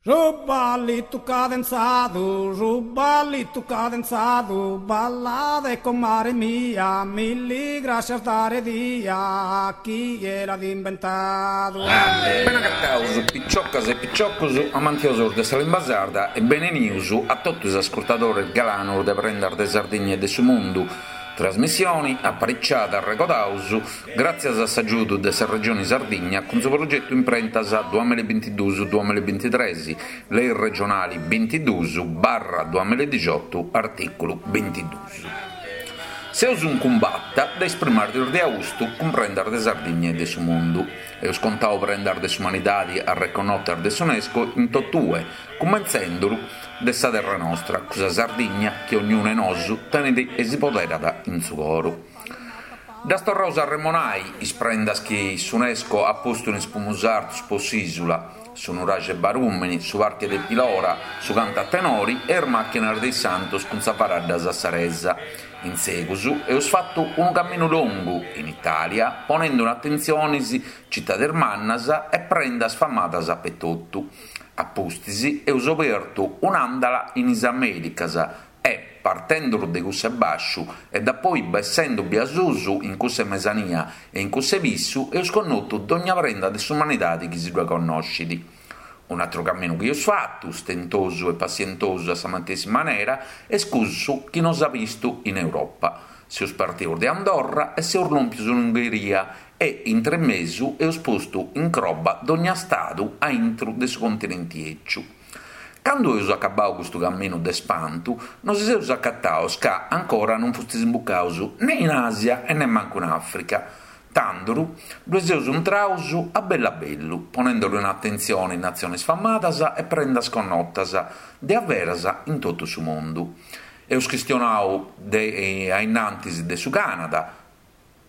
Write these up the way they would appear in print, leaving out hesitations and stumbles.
Su ballitu cadenzadu, su ballitu cadenzadu, ballade comare mia, milli grascias dare dia a chie l'at imbentadu. Bene agataus piciocas e piciocus amantiosus de sa limba sarda e benenius a totu is ascurtadores galanus de Prendas de Sardigna e de su Mundu, trasmissioni apariciada, arregodaus, Gràtzias a s'agiudu de sa Regioni Sardigna cun su progetu Imprentas duamilla e bintiduus duamilla e bintitres, Lei regionali bintiduus barra duamilla e dixiotu artìculu bintiduus. Seus in cumbata de is primas diis de austu cun prendas de Sardigna e de su mundu. Eus contau prendas de s'umanidadi arreconnotas de s'Unesco in totue, cumentzenduru de sa terra nostra, cussa Sardigna chi ognunu 'e nosu tenit e si poderat in su coru. Ddas torraus a arremonai is prendas chi s'Unesco at postu in is primus artus po s'ìsula, su nuraxi 'e Barùmini, su parchi de Pilora, su cantu a tenori e is màchinas de is santus cun sa faradda sassaresa. In segus eus fatu unu caminu longu in Itàlia ponendu in atentzionis citadis mannas e prendas famadas apetotu. A pustis eus obertu un'àndala in is Amèricas E, partenduru de cuss'e bàsciu e dapoi bessendu bia susu in cuss'e mesania e in cuss'e pissu eus connotu dogna prenda de s'umanidadi chi si ddue connoscit. Un'atru caminu chi eus fatu, stentosu e passientosu a sa matessi manera, est cussu chi nos at bistu in Europa. Seus partius de Andorra e seus lòmpius in Ungheria e, intremesu, eus postu in croba dogna stadu a intru de su continenti 'eciu. Candu eus acabau custu caminu de spantu, nosi seus acataus ca ancora non fustis imbucaus ne in Asia e nemmancu in Africa. Tanduru, ddue seus intraus a bellu a bellu, ponenduru in atentzioni natzionis famadas e prendas connotas de averas in totu su mundu. Eus chistionau de ainnantis de su Canada,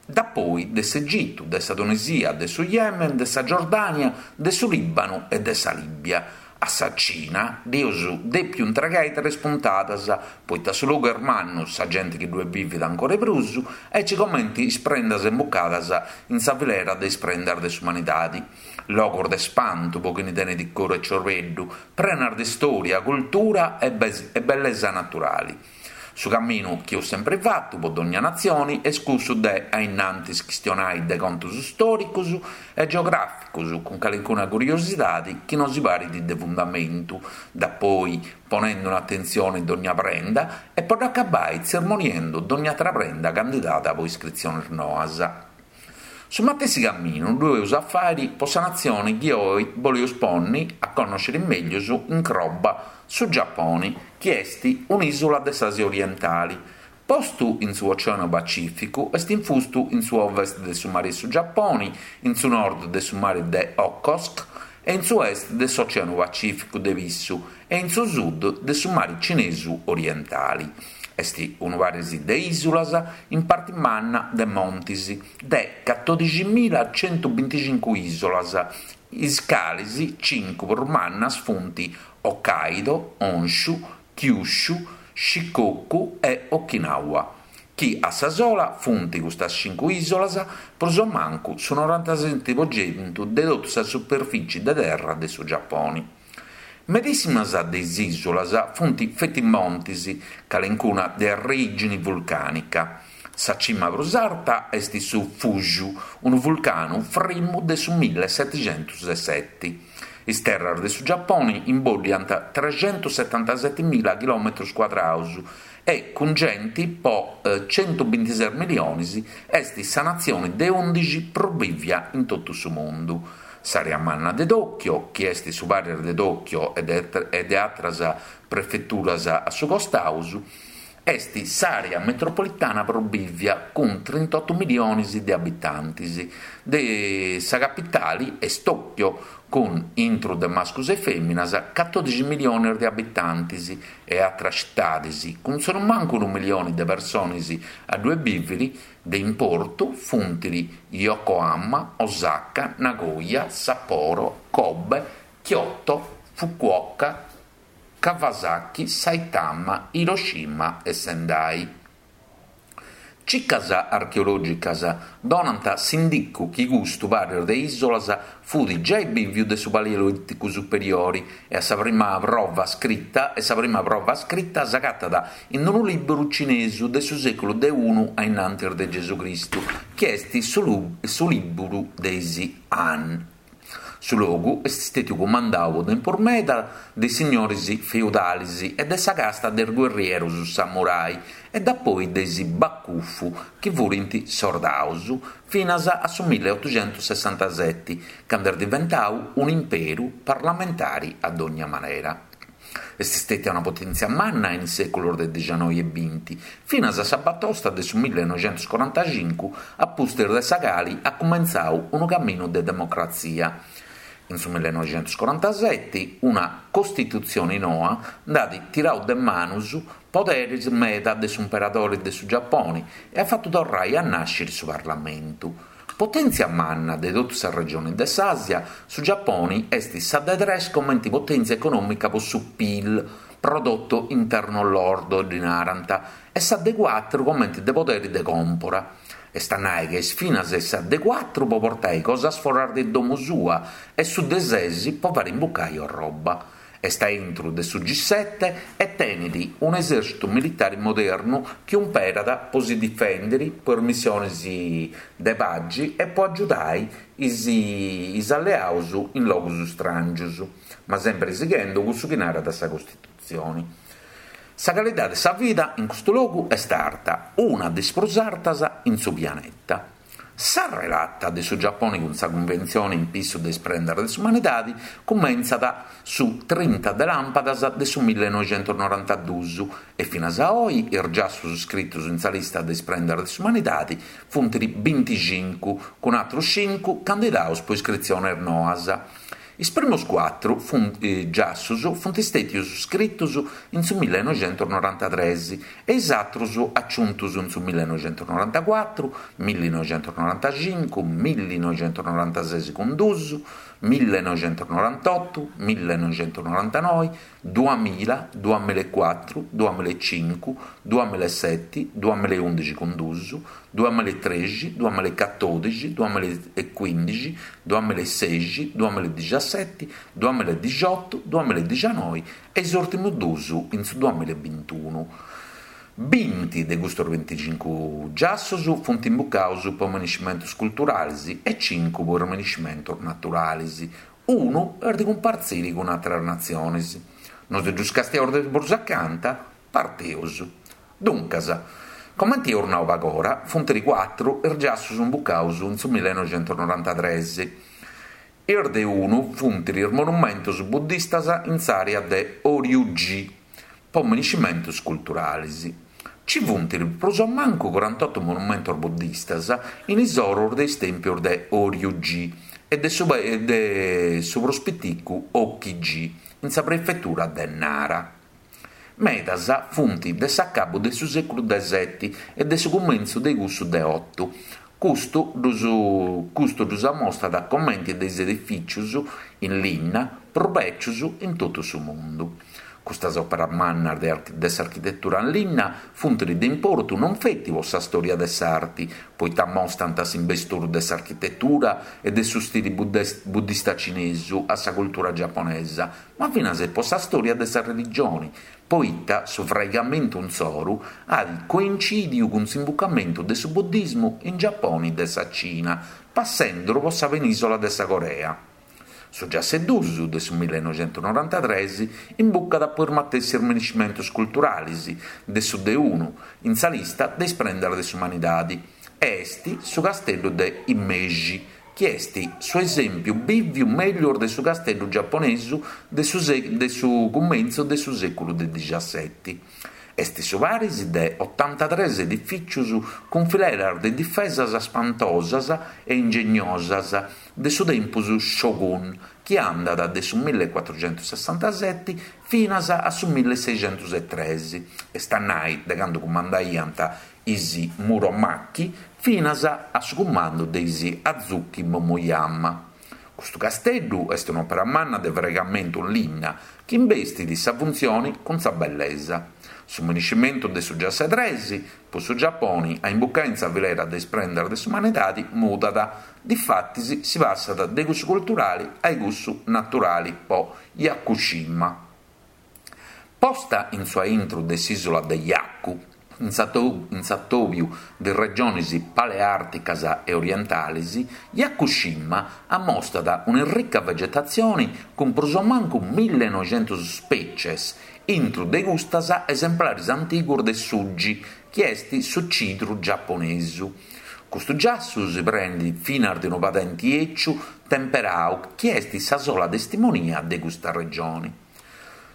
Dapoi de s'Egitu, de sa Tunisia, de su Yemen, de sa Giordània, de su Lìbanu e de sa Lìbia. A sa Cina dd'eus dèpiu intregai tres puntadas, poita su logu est mannu, sa genti chi ddue bivit ancora 'e prus, aici comenti is prendas imbucadas in sa filera de is prendas de s'umanidadi. Logos de spantu po chini tenit coru e ciorbeddu, prenas de stòria, cultura e bellesa naturali. Su caminu chi eus sempri fatu po dogna natzioni est cussu de a innantis chistionai de contus stòricus e geogràficus cun calincuna curiosidadi chi nosi parit de fundamentu, dapoi ponendu in atentzioni dogna prenda e po dd'acabai tzermoniendu dogna atra prenda candidada po iscritzionis noas. Su matessi caminu ddu eus a fàiri po sa natzioni chi oi boleus ponni a connòsciri mèglius in croba, su Giaponi, chi est un'ìsula de s'Àsia orientali. Postu in su Oceanu Pacìficu, est infustu in su ovest de su Mari 'e su Giaponi, in su nord de su Mari de Okhotsk e in su est de s'Oceanu Pacìficu de Pissu e in su sud de su Mari Cinesu Orientali. Est unu paris de ìsulas, in parti manna de montis, de catodiximilacentuebinticincu ìsulas, is calis cincu prus mannas funt Hokkaido, Honshu, Kyushu, Shikoku e Okinawa, chi a sa sola funt custas cincu ìsulas prus o mancu su norantaseti po centu de totu sa superfici de terra de su Giaponi. Medìssimas de is ìsulas funt feti montis, calencuna de arrègini vulcànica. Sa cima prus arta est su Fuji, unu vulcanu frimu de su millesetixentuseseti. Is terras de su Giaponi imbòddiant trexentussetantasetimila chilòmetrus cuadraus e, cun genti po centubintises milionis, est sa natzioni de undixi prus bìvia in totu su mundu. S'àrea manna de Tòchio, chi est su paris de Tòchio e de àteras prefeturas a su costaus, est s'àrea metropolitana prus bìvia, cun trintotu miliones de abitantes. De sa capitale est Tòchio, cun, intru de mascus e fèminas, catòdixi miliones de abitantes e àteras citades, cun sonumancu unu milione de persones a ddue bìvere, De importu funt Yokohama, Osaka, Nagoya, Sapporo, Kobe, Kyoto, Fukuoka, Kawasaki, Saitama, Hiroshima e Sendai. Cicas archeològicas donant s'indicu chi custu paris de ìsolas fut giai bìviu de su Paleolìticu Superiori e a sa prima prova scrita e sa prima prova scrita s'agatat in unu lìburu cinesu de su sèculu de unu a innantis de Gesù Cristu chi est su lìburu de is Han. Su logu est stètiu cumandau po tempus meda de is signoris feudalis e de sa casta de is guerrierus samurai e dapoi de is bakufu chi furint sordaus, finas a su milleotuxentussessantaseti, candu est diventau un'imperu parlamentari a dogna manera. Est stètia una potèntzia manna in is sèculos de dixanoi e binti, finas a sa batosta de su millenoixentuscorantacincu, a pustis de sa cali at cumentzau unu caminu de democratzia. In su millenoixentuscorantaseti una costitutzioni noa nd'at tirau de manus poderis meda de s'umperadori de su Giaponi e at fatu torrai a nàsciri su parlamentu. Potèntzia manna de totu sa regioni de s'Àsia, su Giaponi est sa de tres comenti potèntzia econòmica po su Pil, Prodotto Interno Lordo ddi narant, e sa de cuatru comenti de poderi de còmpora. Est a nai ca est finas sa de cuatru po portai cosas foras de domu sua e su de ses po fari imbucai orroba. Est a intru de su G-sete e tenit un'esèrcitu militari modernu chi umperat po si difèndiri, po is missionis de pagi e po agiudai is is alleaus in logus stràngius, ma sempri sighendu cussu chi narat sa Costitutzioni. Sa calidadi de sa vida in custu logu est arta, una de is prus artas in su pianeta. Sa relata de su Giaponi cun sa Cunventzione in pissu de is prendas de s'umanidadi cumentzat su trinta de làmpadas de su millenoixentusnorantaduus e finas a oi is giassus scritus in sa lista de is prendas de s'umanidadi funt binticincu, cun atrus cincu candidaus po iscritziones noas. Is primus cuatru giassus funt stètius scritus in su millenoixentusnorantatres e is atrus aciuntus in su millenoixentusnorantacuatru, millinoixentusnorantacincu, millinoixentusnorantases cun dus, millenoixentusnorantotu, millenoixentusnorantanoi, duamilla, duamillaecuatru, duamillaecincu, duamillaeseti, duamillaeundixi cun dus, duamillaetrexi, duamillaecatodixi, duamillaecuindixi, duamillaesexi, duamillaedixaseti, duamillaedixotu, duamillaedixanoi e is ùrtimus dus in su duamillaebintunu. Binti de custos binticincu giassus funt imbucaus po miniscimentus culturalis e cincu po is miniscimentus naturalis, Unu est de cumpartziri cun àteras natziones. Nos ddus castiaus de prus acanta? Parteus. Duncas, comenti eus nau pagora, funt cuatru is giassus imbucaus in su millenoixentusnorantatres. Is de unu funt is monumentos buddistas in s'àrea de Horyuji, po miniscimentos culturales. Ci funt prus o mancu corantotu monumentos buddistas in is oros de is tèmpios de Horyuji e de su de su prus piticu Hokki-ji in sa prefetura de Nara. Medas funt de s'acabu de su sèculu de seti e de su cumentzu de cussu de otu. Custu ddus custu ddus amostat comenti de is edifìcius in linna prus bècius in totu su mundu. Custas òperas mannas de de s'architetura in linna funt de importu non feti po sa stòria de s'arti, poita amostant s'imbesturu de s'architetura e de su stili buddista cinesu a sa cultura giaponesa, ma finas po sa stòria de sa religioni, poita su fraigamentu insoru at coincidiu cun s'imbucamentu de su buddismu in Giaponi de sa Cina, passenduru po sa penìsola de sa Corea. Su giassu 'e dus de su millenoixentusnorantatres imbucat po is matessis miniscimentus culturalis de su de unu in sa lista de is prendas de s'umanidadi e est su casteddu de Himeji, chi est su esèmpiu bìviu mellus de su casteddu giaponesu de su de su cumentzu de su sèculu de dixaseti. Est su paris de otantatres edifìcios cun fileras de difesas spantosas e ingegnosas de su tempus Shogun, chi andat de su millecuatruxentussessantaseti finas a su milleseixentusetres, est a nai de candu cumandaiant is Muromachi finas a su cumandu de is Azuchi Momoyama. Custu casteddu est un'òpera manna de fraigamentu in linna chi imbestit sa funtzioni cun sa bellesa. Su miniscimentu de su giassu 'e tres, po su Giaponi, a imbucai in sa filera de is prendas de s'umanidadi mudat, difatis si passat de cussu culturali a cussu naturali po Yakushima. Posta in su aintru de s'ìsula de Yaku, in s'atòbiu de is regionis paleàrticas e orientalis, Yakushima ammostat un'errica vegetatzioni cun prus o mancu millenoixentus spècies, intru de custas esemplaris antigus de sugi, chi est su cidru giaponesu. Custu giassu si prenit finas de unu padenti 'eciu temperau chi est sa sola testimonia de custa regioni.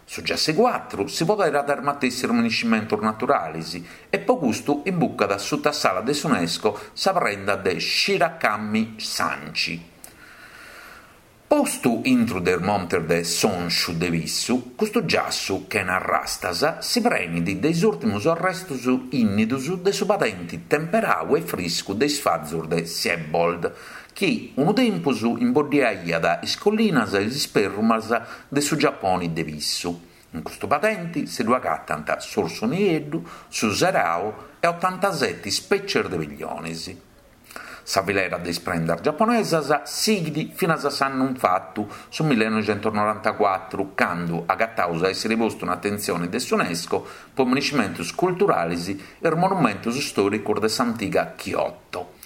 Su giassu 'e cuatru si poderat de is matessis miniscimentus naturalis e po custu imbucat suta s'ala de s'Unesco sa prenda de Shirakami Sanchi. Postu intru de is montes de S'Onsciu de Pissu, custu giassu, chena arrastas, si prenit de is ùrtimus arrestus ìnnidus de su padenti temperau e friscu de is fazus de Siebold, chi unu tempus imboddiaiat is collinas e is isperrumas de su Giaponi de Pissu. In custu padenti si ddu agatant s'ursu nieddu, su serau e otantaseti spècies de pillionis. Sa filera de is prendas giaponesas sighit finas a s'annu infatu, su millenoixentusnorantacuatru, candu agataus a èssiri postu in atentzioni de s'Unesco po miniscimentus culturalis is monumentus stòricus de s'antiga Kyoto.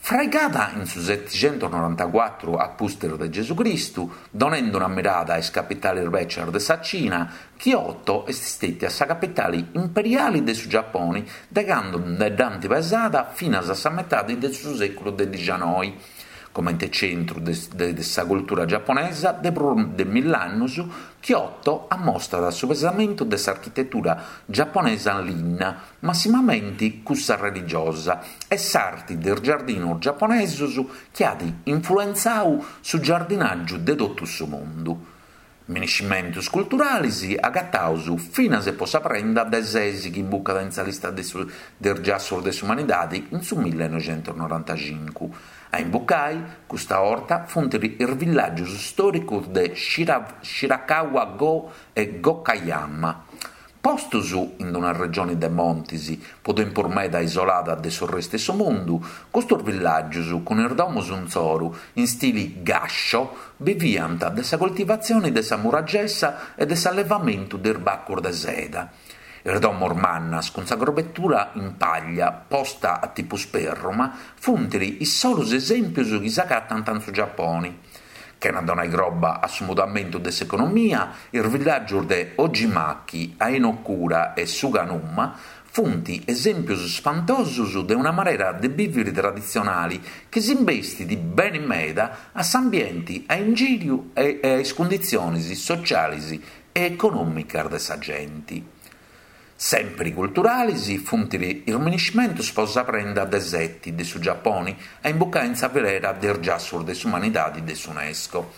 Fraigada in su setixentusnorantacuatru a pustis de Gesù Cristu, donendu una mirada a is capitalis bècias de sa Cina, Kyoto est stètia sa capitali imperiali de su Giaponi de candu nde dd'ant pesada finas a sa metadi de su sèculu de dixianoi. Comente centru de sa cultura giaponesa de prus de mill'annus, Kyoto ammostat su pesamentu de s'architetura giaponesa in linna, massimamenti cussa religiosa, e s'arti de is giardinus giaponesus chi at influentzau su giardinàgiu de totu su mundu. Miniscimentus culturalis agataus finas e po sa prenda de ses chi imbucat in sa lista de is giassus de s'umanidadi in su millenoixentusnorantacincu. A imbucai, custa 'orta, funt is villàgius stòricus de Shirakawa-go e Gokayama. Postus in una regioni de montis, po tempus meda isolada de su restu 'e su mundu, custus villàgius cun is domus insoru in stili gasho biviant de sa coltivatzioni de sa muragessa e de s'allevamentu de is bacus de seda. Is domus mannas cun sa crobetura in paglia posta a tipu sperruma funt is solus esèmpius chi s'agatant in su Giaponi. Chena donai croba a su mudamentu de s'economia, is villàgius de Ojimaki, Ainokura e Suganuma funt esèmpius spantosus de una manera de bìviri traditzionali chi s'imbestit beni meda a s'ambienti a ingìriu e a is cunditzionis socialis e econòmicas de sa genti. Sèmpiri culturalis funt is miniscimentus po sa prenda de seti de su Giaponi a imbucai in sa filera de is giassus de s'umanidadi de s'Unesco.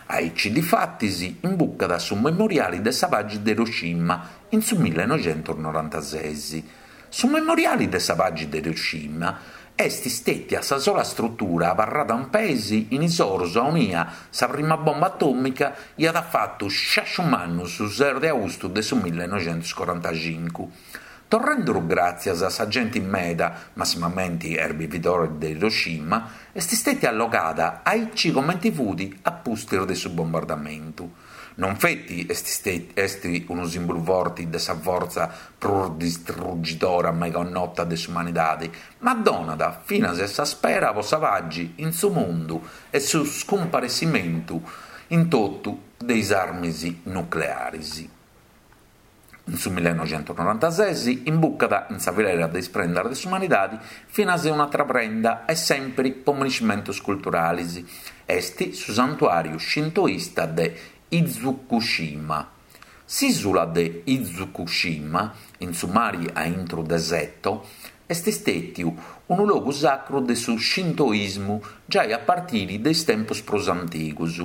Aici difatis imbucat su memoriali de sa pagi de Hiroshima in su millenoixentusnorantases. Su memoriali de sa pagi de Hiroshima est stètia sa sola strutura abarrada in peis in is orus aunia sa prima bomba atòmica iat fatu sciasciu mannu su ses de austu de su millenoixentuscorantacincu. Torrenduru gràtzias a sa genti meda, massimamenti a is bividoris de Hiroshima, est stètia allogada aici comenti fut a pustis de su bombardamentu. Non feti est est unu sìmbulu forti de sa fortza prus distrugidora mai connota de s'umanidade, ma donat finas sa spera po sa pagi in su mundu e su scumparessimentu in totu de is armis nuclearis. In su millenoixentusnorantases imbucat in sa filera de is prendas de s'umanidadi finas un'atra prenda e sèmpiri po miniscimentus culturalis, est su santuàriu shintoista de Itsukushima. S'ìsula de Itsukushima, in su mari a intru de Seto, est stètiu unu logu sacru de su shintoismu giai a partiri de is tempus prus antigus.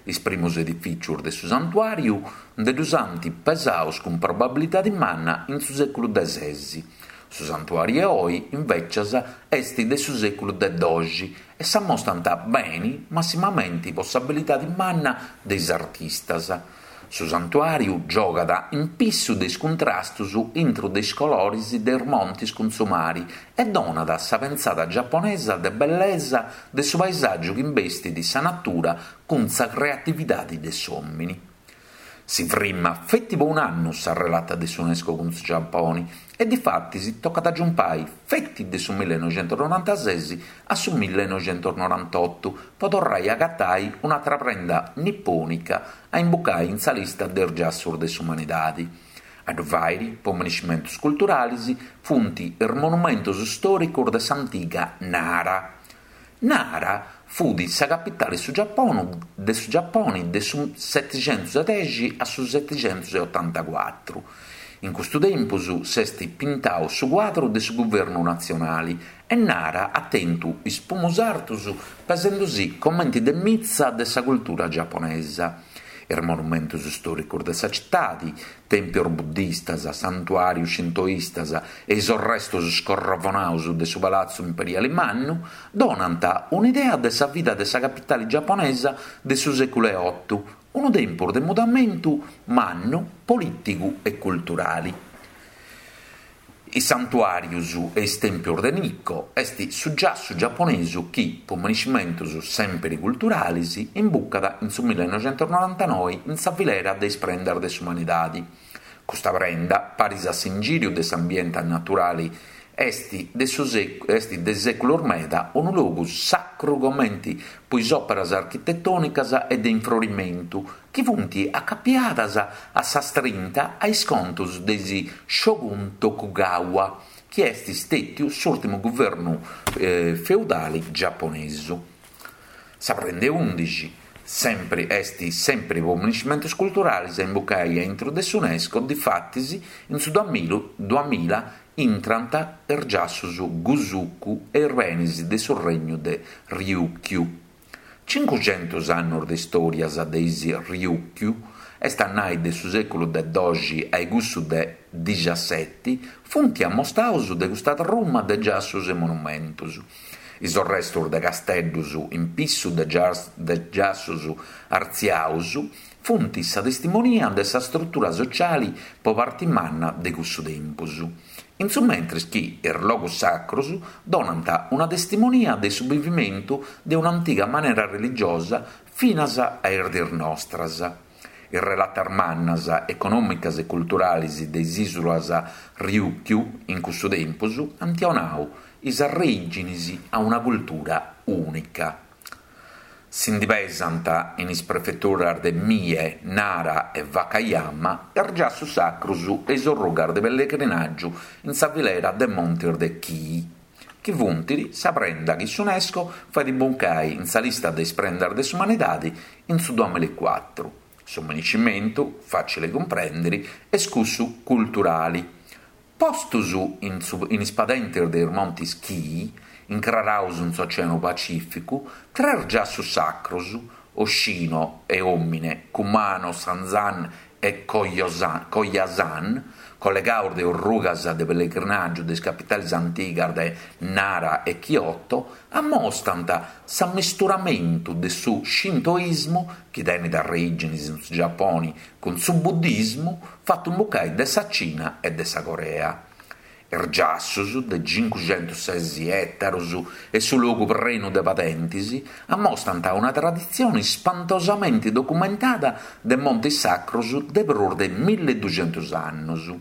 Is primus edifìcius de su santuàriu nde ddus ant pesaus cun probabilidadi manna in su sèculu de ses. Su santuàriu 'e oi, invècias, est de su sèculu de doxi e s'ammostant beni massimamenti po s'abilidadi manna de is artistas. Su santuàriu giogat in pissu de is cuntrastus intru de is coloris de is montis cun su mari e donat sa pentzada giaponesa de bellesa de su paesàgiu chi imbestit sa natura cun sa creatividadi de s'òmini. Si frimmat feti po un'annu sa relata de s'Unesco cun su Giaponi e difatis tocat a giumpai feti de su millenoixentusnorantases a su millenoixentusnorantotu po torrai a agatai un'atra prenda nipònica a imbucai in sa lista de is giassus de s'umanidadi. A ddu fàiri, po miniscimentus culturalis, funt is monumentus stòricus de s'antiga Nara. Nara fut sa capitale su de su Giaponi de su setixentusdexi a su setixentusotantacuatru. In custu tempus s'est pintau su cuadru de su guvernu natzionali e Nara at tentu is pumus artus pesendusì comenti de mitza de sa cultura giaponesa. Is monumentus stòricus de sa citadi, tèmpios buddistas, santuàrius shintoistas e is orrestus scorrovonaus de su palatzu imperiali mannu donant un'idea de sa vida de sa capitali giaponesa de su sèculu 'e otu, unu tempus de mudamentu mannu polìtigu e culturali. Is santuàrius e is tèmpios de Nikko est su giassu giaponesu chi, po miniscimentus sèmpiri culturalis, imbucat in su millenoixentusnorantanoi in sa filera de is prendas de s'umanidadi. Custa prenda, paris a s'ingìriu de s'ambiente naturali est de su est de sèculos meda unu logu sacru comenti po is òperas architetònicas e de infrorimentu chi funt acapiadas a sa strinta a is contos de is Shogun Tokugawa, chi est stètiu s'ùrtimu guvernu feudali giaponesu. Sa prenda 'e ùndixi, sempri est sempri po miniscimentus culturalis a imbucai a intru de s'Unesco, difatis in su duamilla intrant is giassus Gusuku e is benis de su regnu de Ryukyu. Cincuxentus annus de istòrias de is Ryukyu, est a nai de su sèculu de doxi a cussu de dixaseti, funt ammostaus de custa truma de giassus e monumentus. Is orrestus de casteddus in pissu de giassus artziaus funt sa testimonia de sa strutura sociali po parti manna de cussu tempus. In su mentris chi is logus sacrus donant una testimonia de su bivimentu de un'antiga manera religiosa finas a is diis nostras. Is relatas mannas econòmicas e culturalis de is ìsulas Ryukyu in cussu tempus ant 'onau is arrèiginis a una cultura ùnica. Si ndi pesant in is prefeturas de Mie, Nara e Wakayama is giassus sacrus e is orrugas de pellegrinàgiu in sa filera de montis de Kii, chi funt sa prenda chi s'Unesco fait imbucai in sa lista de is prendas de s'umanidadi in su duamilacuatru. Su miniscimentu, fàcili cumprèndiri, est cussu culturali. Postus in in is padentis de is montis Kii, incraraus in s'Oceanu Pacìficu, tres giassus sacrus, Oshino e Omine, Kumano Sanzan e Koyasan, collegaus de orrugas de pellegrinàgiu de is capitalis antigas de Nara e Kyoto, ammostant s'ammisturamentu de su shintoismu, chi tenit arreìginis in su Giaponi, cun su buddismu fatu imbucai de sa Cina e de sa Corea. Is giassus, de cincuxentusses ètarus e su logu prenu de padentis, ammostant una traditzioni spantosamenti documentada de montis sacrus de prus de milleduxentus annus.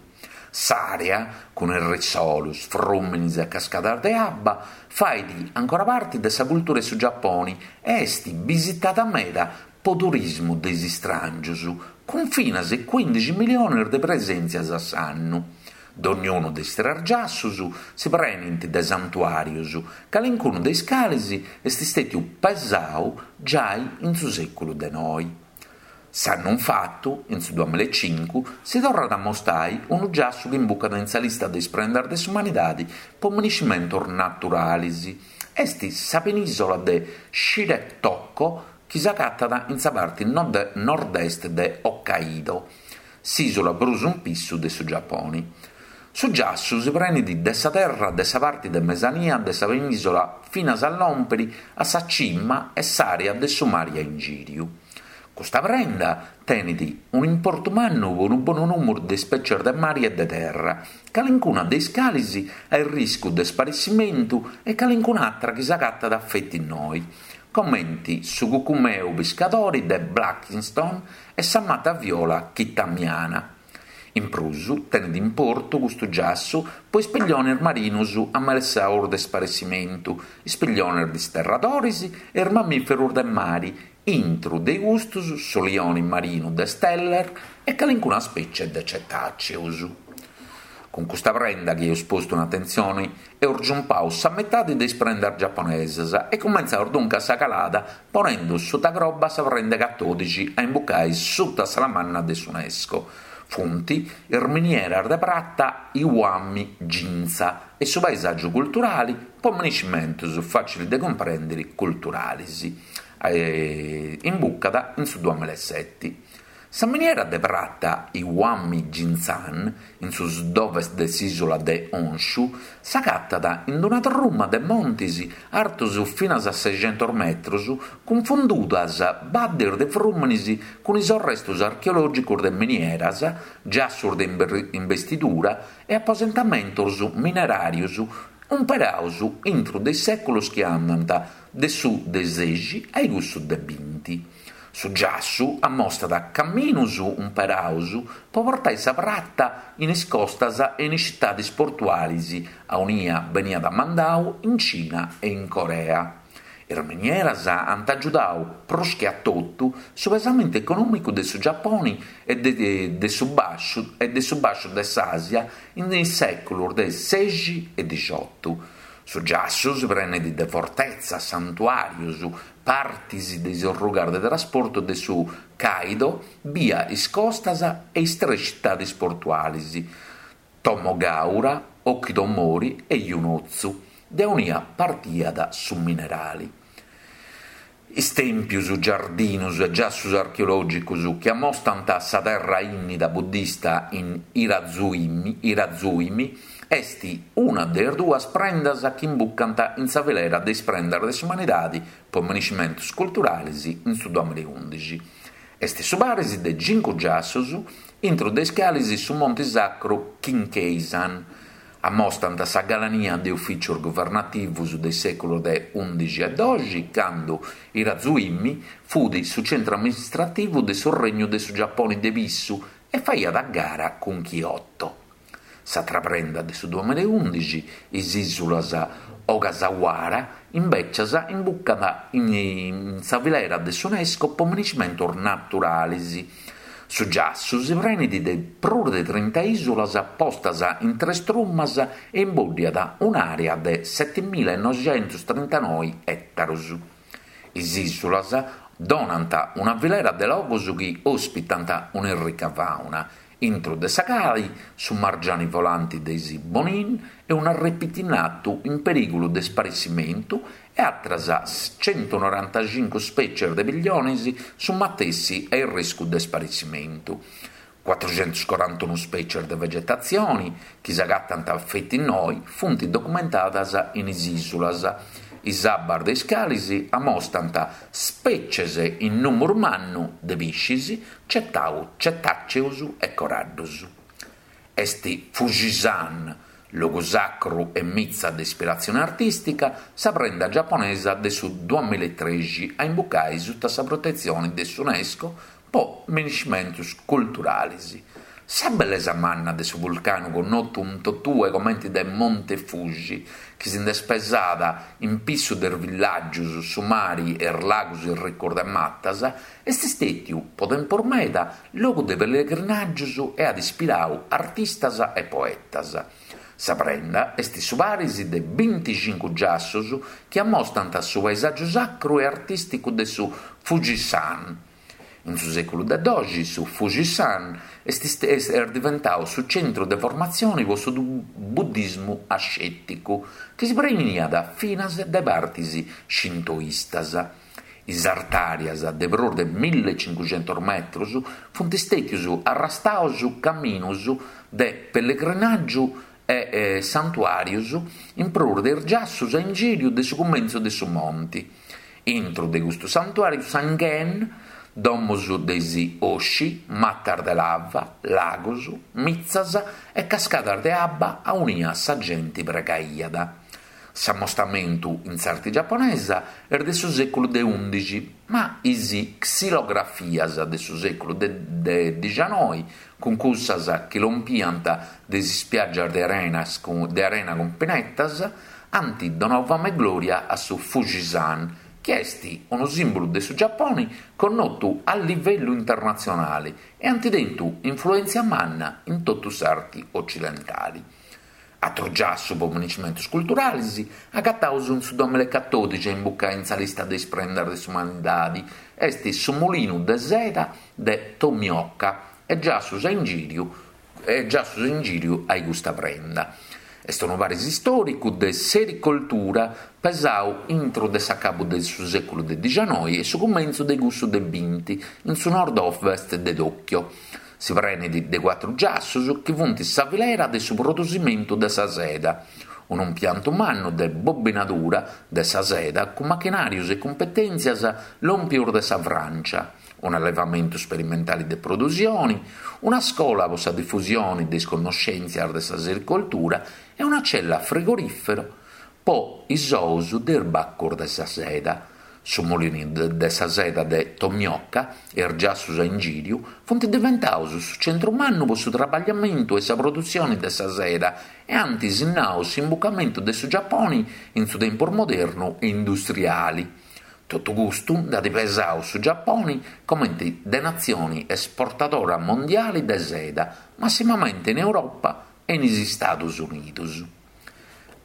S'àrea, cun is risolus, frùminis e cascadas de abba, fait ancora parti de sa cultura 'e su Giaponi e est bisitada meda po turismu de is istràngius, cun finas e cuìndixi milionis de presèntzias a s'annu. Donniunu de is tres giassus si prenint de santuàrius, calincunu de is calis est stètiu pesau giai in su sèculu de noi. S'annu infatu, in su duamilaecincu, si torrat a mostai unu giassu chi imbucat in sa lista de is prendas de s'umanidadi po miniscimentus naturalis, est sa penìsola de Shiretoko chi s'agatat in sa parti nord-est de Hokkaido, s'ìsula prus in pissu de su Giaponi. Su giassu si prenit de sa terra de sa parti de mesania de sa penìsola finas a lòmpiri a sa cima e s'àrea de su mari a ingìriu. Custa prenda tenit un'importu mannu po unu bonu nùmeru de spècies de mari e de terra, calincuna de is calis a arriscu de sparessimentu e calincun'atra chi s'agatat feti innoi, comenti su cucumeu piscadori de Blakiston e sa mata viola kitamiana. In prus, tenit importu custu giassu po is pillionis marinus amelessaus de sparessimentu, is pillionis disterradoris e is mamìferus de mari, intru de custus su lioni marinu de Steller e calincuna spècie de cetàceus. Cun custa prenda chi eus postu in atentzioni eus giumpau sa metadi de is prendas giaponesas e cumentzaus duncas sa calada ponendu suta croba sa prenda catòdixi a imbucai suta sa manna de s'UNESCO. Funt is minieras de prata Iwami Ginza e su paesàgiu culturali po miniscimentus fàcilis de cumprèndiri culturalis. Imbucat in su duamilaseti. Sa miniera de prata Iwami Ginzan, in su sud-ovest de s'ìsula de Honshu, s'agatat in una truma de montes artos finas a sescentos metros cun fundudas baddes de frùmenes cun is arrestos archeològicos de minieras, giassos de imbestidura e aposentamentos mineràrios umperados intro de is sèculos chi andant de su de sexi a cussu de binti. Su giassu ammostat caminus umperaus po portai sa prata in is costas e in is citadis portualis aunia beniat mandau in Cina e in Corea. Is minieras ant agiudau prus che a totu su pesamentu econòmicu de su Giaponi e de su bàsciu e de su bàsciu de s'Àsia in is sèculus de sexi e dixiotu. Su giassu si prenit de fortetzas, santuàrius, partis de is orrugas de trasportu de su Kaido bia is costas e is tres citadis portualis, Tomogaura, Okidomori e Yunotsu, de aunia partiat su minerali. Is tèmpius, giardinus e giassus archeològicus chi ammostant sa terra ìnnida buddista in Hiraizumi est una de is duas prendas chi imbucant in sa filera de is prendas de s'umanidade po miniscimentos culturales in su duamilaundixi. Est su paris de cincu giassos, intro de is cales su monte sacru Kinkeisan. Ammostant sa galania de ufìtzios guvernativos de is sèculos de undixi e doxi, cando Hiraizumi fut su centru amministrativu de su Regnu de su Giapone de Pissu e faiat a gara cun Kyoto. S'atra prenda de su duamilaundixi, is ìsulas Ogasawara, imbècias imbucat in sa filera de s'UNESCO po miniscimentos naturales. Su giassu si prenit de prus de trinta ìsulas postas in tres trumas e imbòddiat un'àrea de setemilanoixentostrintanoe ètaros. Is ìsulas donant una filera de logos chi òspitant un'errica fàuna, intro de sa cali su margiani volanti de is Bonin e un'arrepiti innatu in perìgulu de sparessimentu e àteras centunorantacincu spècies de pilliones su matessi a arriscu de sparessimentu. Cuatruxentuscorantunu spècies de vegetatzioni chi s'agatant feti innoi funt documentadas in is ìsulas, is abbas de is calis amostant spècies in nùmeru mannu de piscis, cetàceus e coraddus. Est Fujisan, logu sacru e mitza de ispiratzione artìstica, sa prenda giaponesa de su duamilatrexi a imbucai suta sa protetzione de s'UNESCO po miniscimentos culturales. Sa bellesa manna de su vulcanu connotu in totue comente de Monte Fuji, chi si nd'est pesada in pissu de is villàgios, su mari e is lagos ricos de matas, est istètiu po tempus meda logu de pellegrinàgios e at ispiradu artistas e poetas. Sa prenda est su paris de binticincu giassos chi ammostant su paesàgiu sacru e artìsticu de su Fujisan. In su sèculu de doxi su Fujisan est est diventadu su centru de formatzione po su buddismu ascèticu, chi si preniat finas de partes shintoistas. Is artàrias de prus de millecincuxentus metrus funt stètius arrastaus caminus de pellegrinàgiu e santuàrius in prus de is giassus a ingìriu de su cumentzu de su monti. Intru de custus santuàrius Sangen, domus de is Oshi, matas de lava, lagos, mitzas e cascadas de abba aunia sa genti pregaiat. S'ammostamentu in s'arti giaponesa est de su sèculu de ùndixi, ma is xilografias de su sèculu de dixanoi, cun cussas chi lompiant de is ispiàgias de de arena cun pinetas, ant donau fama e glòria a su Fujisan, chi est unu sìmbulu de su Giaponi connotu a livellu internatzionali e ant tentu influèntzia manna in totu s'arti ocidentali. Atru giassu po meniscimentus culturalis agataus in su duamillaecatòdixi a imbucai in sa lista de is prendas de s'umanidadi est su mulinu de seda de Tomioka e giassus a ingìriu e giassus ingìriu a custa prenda. Est unu paris istòricu de sericoltura pesau intro de s'acabu de su sèculu de dixanoi e su cumentzu de cussu de binti in su nord-ovest de Tokyo. Si prenit de cuatru giassus chi funt sa filera de su produsimentu de sa seda, unu impiantu mannu de bobinadura de sa seda cun machinàrius e cumpetèntzias lòmpius de sa Frància, un'allevamentu sperimentali de produsioni, una scola po sa difusioni de is connoscèntzias de sa sericoltura e una cella frigorìfera po is ous de is bacus de sa seda. Su mulinu de sa seda de Tomioka e is giassus a ingìriu funt diventaus su centru mannu po su trabagliamentu e sa produtzioni de sa seda e ant sinnau s'imbucamentu de su Giaponi in su tempus modernu e industriali. Totu custu nd'at pesau su Giaponi comenti de natzioni esportadora mondiali de seda, massimamenti in Europa e in is Istadus Unidus.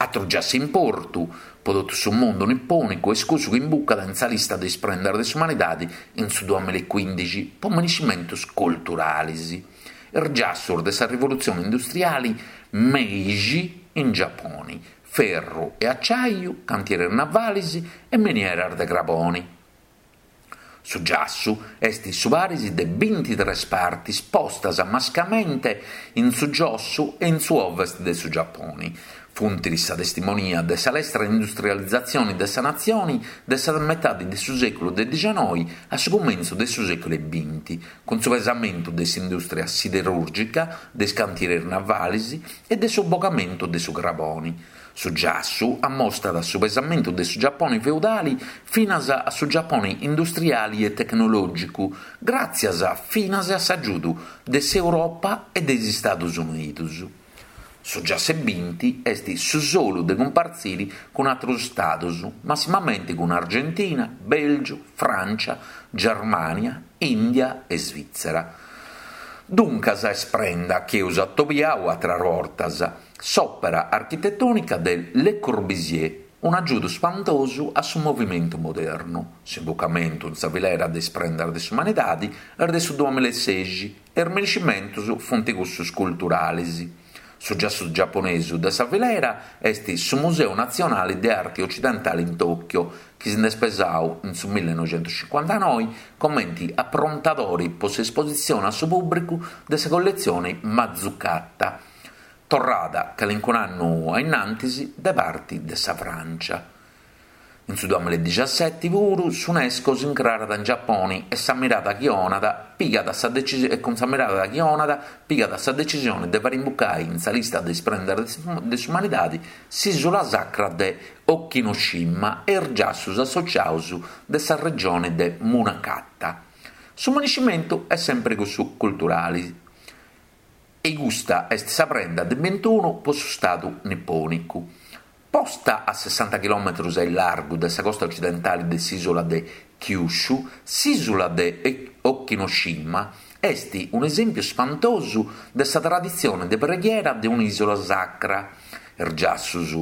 Atru giassu de importu po totu su mundu nipònicu est cussu chi imbucat in sa lista de is prendas de s'umanidadi in su duamillaecuindixi po meniscimentus culturalis, is giassus de sa rivolutzioni industriali Meiji in Giaponi, ferru e aciaiu, cantieris navalis e minieras de craboni. Su giassu est su paris de bintitres partis postas mascamente in su giossu e in su ovest de su Giaponi. Funt sa testimonia de sa lestra industrializatzione de sa natzione de sa metade de su sèculu de dixanoi a su cumentzu de su sèculu 'e binti, cun su pesamentu de s'indùstria siderùrgica, de is cantieris navalis e de su bogamentu de su craboni. Su giassu ammostat su pesamentu de su Giapone feudali finas a su Giapone industriali e tecnològicu, gràtzias finas a s'agiudu de s'Europa e de is Istados Unidos. Su giassu 'e binti est su solu de cumpartzire cun àteros istados, massimamente cun Argentina, Bèlgiu, Frància, Germània, Ìndia e Svìtzera. Duncas est prenda chi eus atobiau àteras bortas, s'òpera architetònica de Le Corbusier, un'agiudu spantosu a su movimentu modernu. S'imbucamentu in sa filera de is prendas de s'umanidadi est de su duamillaesexi e is meniscimentus funt cussus culturalis. Su giassu giaponesu de sa filera est su Museu Natzionali de Arti Ocidentali in Tokyo, chi si nd'est pesau in su millenoixentuscincuantanoi comenti aprontadori po s'espositzioni a su pùbricu de sa colletzioni Matsukata, torrada calincun'annu a innantis de parti de sa Frància. In su duamillaedixaseti puru s'Unesco s'incrarat in Giaponi e sa mirada chi 'onat pigat sa e cun sa mirada chi 'onat pigat sa decisione de fare imbucai in sa lista de is prendas de s'umanidadi s'ìsula sacra de Okinoshima e is giassus associaus de sa regione de Munakata. Su meniscimentu est sempri cussu culturali e custa est sa prenda de bintunu po su stadu nipònicu. Posta a sessanta chilòmetros a illargu de sa costa ocidentale de s'ìsula de Kyushu, s'ìsula de Okinoshima est un'esèmpiu spantosu de sa traditzione de preghiera de un'ìsula sacra. Is giassus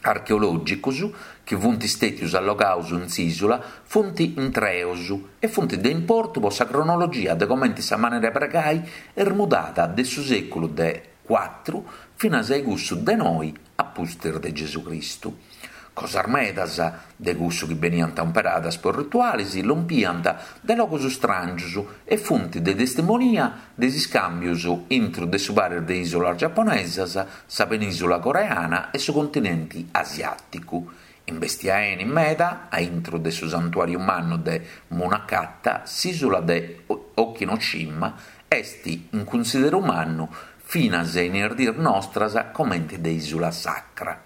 archeològicos chi funt istètios allogados in s'ìsula funt intreos e funt de importu pro sa cronologia de comente sa manera de pregai est mudada de su sèculu de cuatru finas a cussu de noi a pustis de Gesù Cristu. Cosas medas de cussu chi beniant umperadas po ritualis lompiant de logus stràngius e funt de testimonia de is iscàmbius intru de su paris de ìsulas giaponesas, sa penìsula coreana e su continenti asiàticu. Imbestia 'eni meda a intru de su santuàriu mannu de Munakata, s'ìsula de Okinoshima est in cunsideru mannu finas in is dies nostras comente de ìsula sacra.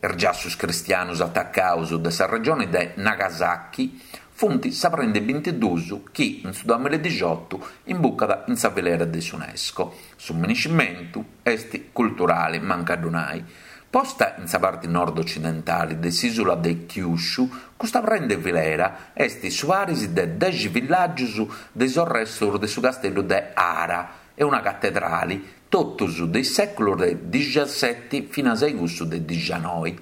Is giassus cristianus atacaus de sa regioni de Nagasaki funt sa prenda 'e bintiduus chi in su duamilla e dixiotu imbucat in sa filera de s'Unesco. Su miniscimentu est culturali, mancu a ddu nai. Posta in sa parti nord-ocidentali de s'ìsula de Kyushu, custa prenda 'e filera est su paris de dexi villàgius de is orrestus de su casteddu de Hara e una catedrali, totus de is sèculus de dixaseti finas a cussu de dixanoi.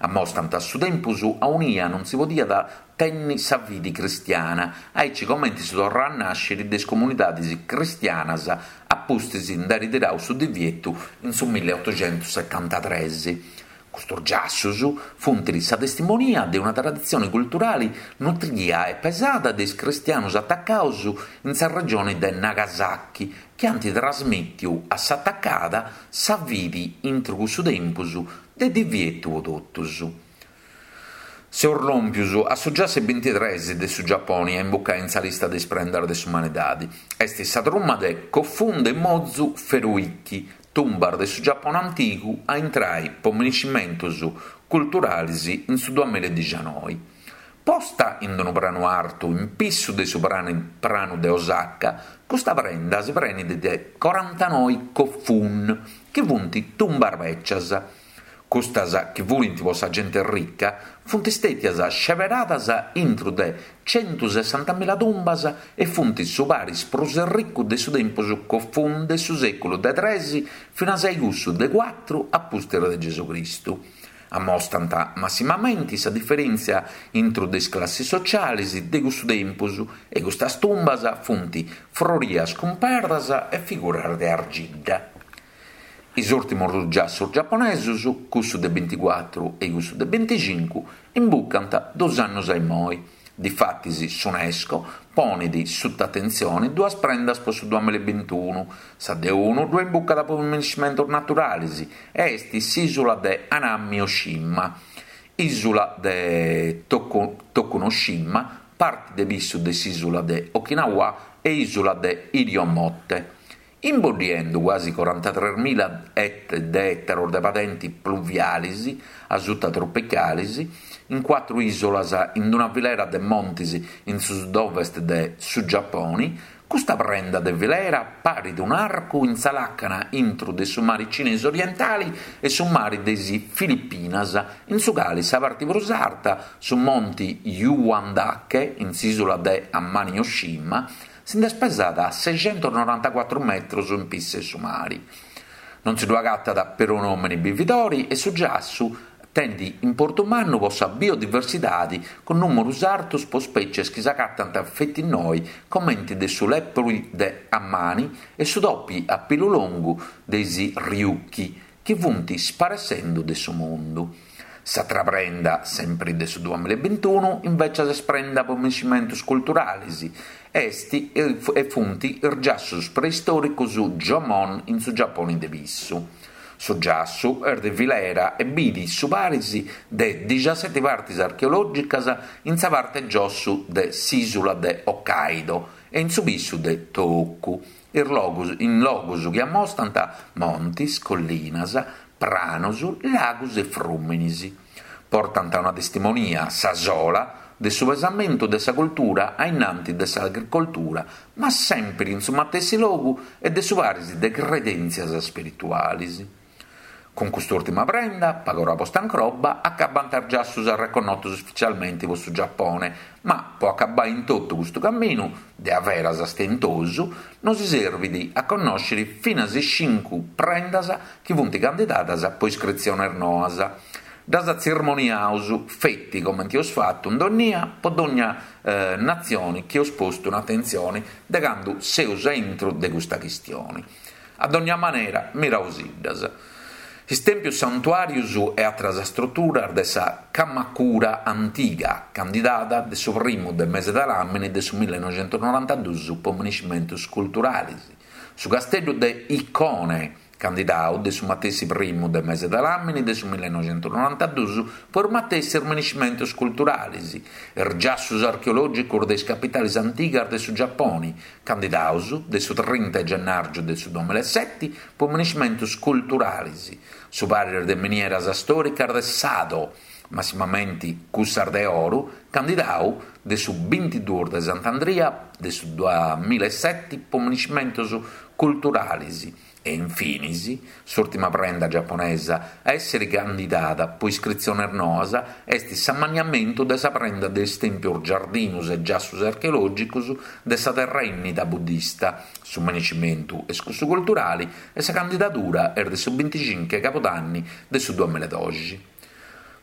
Ammostant su tempus aunia non si podiat tenni sa fidi cristiana, aici comenti su torrai a nàsciri de is comunidadis cristianas a pustis nd'airi tirau su divietu in su milliotoxentusetantatres. Custus giassus funt sa testimonia de una traditzioni culturali nutria e pesada de is cristianus atacaus in sa regioni de Nagasaki chi ant trasmìtiu a s'atacada sa fidi intru cussu tempus de divietu po totus. Seus lòmpius a su giassu 'e bintitres de su Giaponi a imbucai in sa lista de is prendas de s'umanidadi. Est sa truma de Kofun de Mozu Feruichi, tumbas de su Giapone antigu a intrai po miniscimentus culturalis in su duamilla e dixanoi. Posta in unu pranu artu in pissu de su pranu de Osaka, custa prenda si prenit de corantanoi kofun, chi funt tumbas bècias. Custas, chi furint po sa genti ricca, funt stètias sceberadas intru de centusessantamila tumbas e funt su paris prus erricu de su tempus Kofun de su sèculu de tres finas a cussu de cuatru a pustis de Gesucristu. Ammostant massimamenti sa diferèntzia intru de is classis socialis de cussu tempus e custas tumbas funt frorias cun perdas e figuras de argidda. Is ùrtimus dus giassus giaponesus, cussu de binticuatru e cussu de binticincu, imbucant dus annus a immoi. Difatis s'Unesco ponit suta atentzioni duas prendas po su duamilla e bintunu, sa de unu ddue imbucat po miniscimentus naturalis e est s'ìsula de Amami Oshima, ìsula de Tokunoshima, parti de pissu de s'ìsula de Okinawa e ìsula de Iriomote. Imboddiendu cuasi corantatresmila de ètaros de padenti pluvialis a sutatropicalis, in cuatru ìsulas in una filera de montis in su sud-ovest de su Giaponi, custa prenda de filera parit un'arcu in sa làcana intru de su mari Cinesu Orientali e su mari de is Filipinas, in su cali sa parti prus arta, su monti Yuandake, in s'ìsula de Amami Oshima, Si nd'est pesada a seixentusnorantacuatru metrus in pissu 'e su mari. Non si ddu agatat perunu òmini bividori e su giassu tenit importu mannu po sa biodiversidadi cun nùmerus artus po spècies chi s'agatant feti innoi comenti de su lèpori de Amami e su topi a pilu longu de is Ryukyu chi funt sparessendu de su mundu. S'atra prenda, sempri de su duamilla e bintunu, invecias est prenda po miniscimentus culturalis, est e funt is giassus preistoricus Jomon in su Giaponi de pissu. Su giassu est de filera e bidi su paris de dixaseti partis archeologicas in sa parte giossu de s'isula de Hokkaido e in su pissu de Tohoku, in logus chi ammostant montis, collinas, pranos, lagus e frùminis. Portant una testimonia, sa sola, de su pesamentu de sa cultura a innanti de s'agricoltura, ma sèmpiri in su matessi logu e de su paris de credèntzias spiritualis. Cun cust'ùrtima prenda, pagora posta in croba, acabant is giassus arreconnotus ufitzialmenti po su Giapone, ma po acabai in totu custu caminu, de averas stentosu, nosi serbit a connòsciri finas is cincu prendas chi funt candidadas po iscritziones noas. Ddas tzirmoniaus feti comenti eus fatu in dònnia po dònnia natzioni chi eus postu in atentzioni de candu seus a intru de custa chistioni. A dònnia manera, miraosiddas. Is tèmpius santuàrius e àteras struturas de sa Kamakura antiga, candidada de su primu de mese de làmini de su millenoixentusnorantaduus po miniscimentus culturalis. Su casteddu de Hikone, candidau de su matessi primu de mese de làmini de su millenoixentusnorantaduus po is matessis miniscimentus culturalis. Is giassus archeològicus de is capitalis antigas de su Giaponi, candidaus de su trinta 'e gennàrgiu de su duamillaeseti po miniscimentus culturalis, su paris de minieras stòricas de Sado, massimamenti cussas de oru, candidau de su bintiduus de Sant'Andria de su duamillaeseti po miniscimentus culturalis. E infinis, s'ùrtima prenda giaponesa a èssere candidada pro iscritziones noas est s'ammaniamentu de sa prenda de is tèmpios giardinus e giassos archeològicos de sa Terra Ìnnida buddista. Su miniscimentu est cussu culturale e sa candidadura est de su binticinche 'e cabudanni de su duamillaedoxi.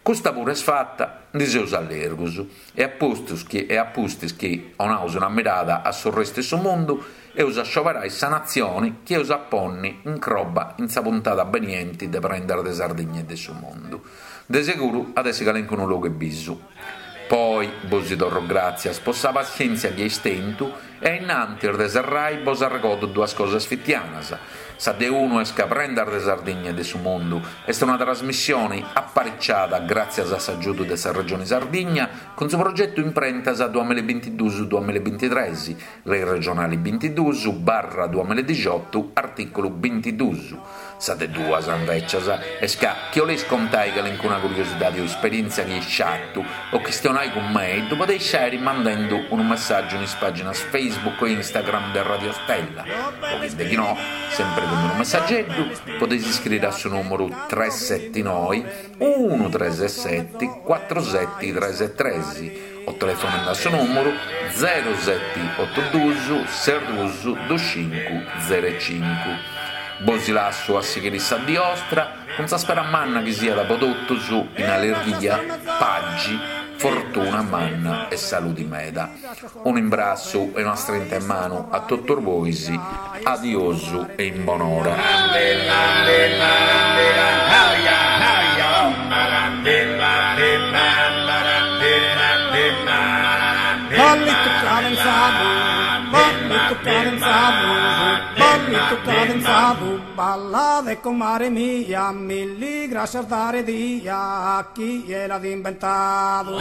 Custa puru est fata, ndi seus allergus e a pustis chi e a pustis chi 'onaus una mirada a su restu 'e su mundu, eus a scioberai sa natzioni chi eus a ponni in croba in sa puntada benienti de Prendas de Sardigna e de su Mundu. De seguru at essi calencunu logu 'e bisu. Po oi bosi torru gràtzias po sa passièntzia chi eis tentu e ainnantis de serrai bos arregodu duas cosas fitianas. Sa de unu est ca Prendas de Sardigna e de su Mundu est una trasmissioni apariciada gràtzias a s'agiudu de sa Regioni Sardigna cun su progetu Imprentas duamillabintiduus duamillabintitres, Lei regionali bintiduus barra duamilladixiotu artìculu bintiduus. Sa de duas, invècias, est ca chi 'oleis contai calincuna curiosidadi o isperièntzia chi eis fatu o chistionai cun mei, ddu podeis fàiri mandendu unu messàgiu in is pàginas Facebook e Instagram de Radio Stella o chi deghinò, sempri cun unu messageddu, podeis iscriri a su nùmuru tres seti noi unu tres seti cuatru seti tres tres o telefonendu a su nùmuru zero seti otu duus ses duus dus cincu zero e cincu. Bosi lassu a sighiri sa dì 'ostra cun sa spera manna chi siat po totus in allerghia, pagi, fortuna manna e saludi meda. Unu imbrassu e una strinta 'e manu a totus bois, adiosu e in bonora. Ballitu cadenzadu, ballitu cadenzadu, ballitu cadenzadu, ballade comare mia, milli grascias dare dia, chie l'at imbentadu.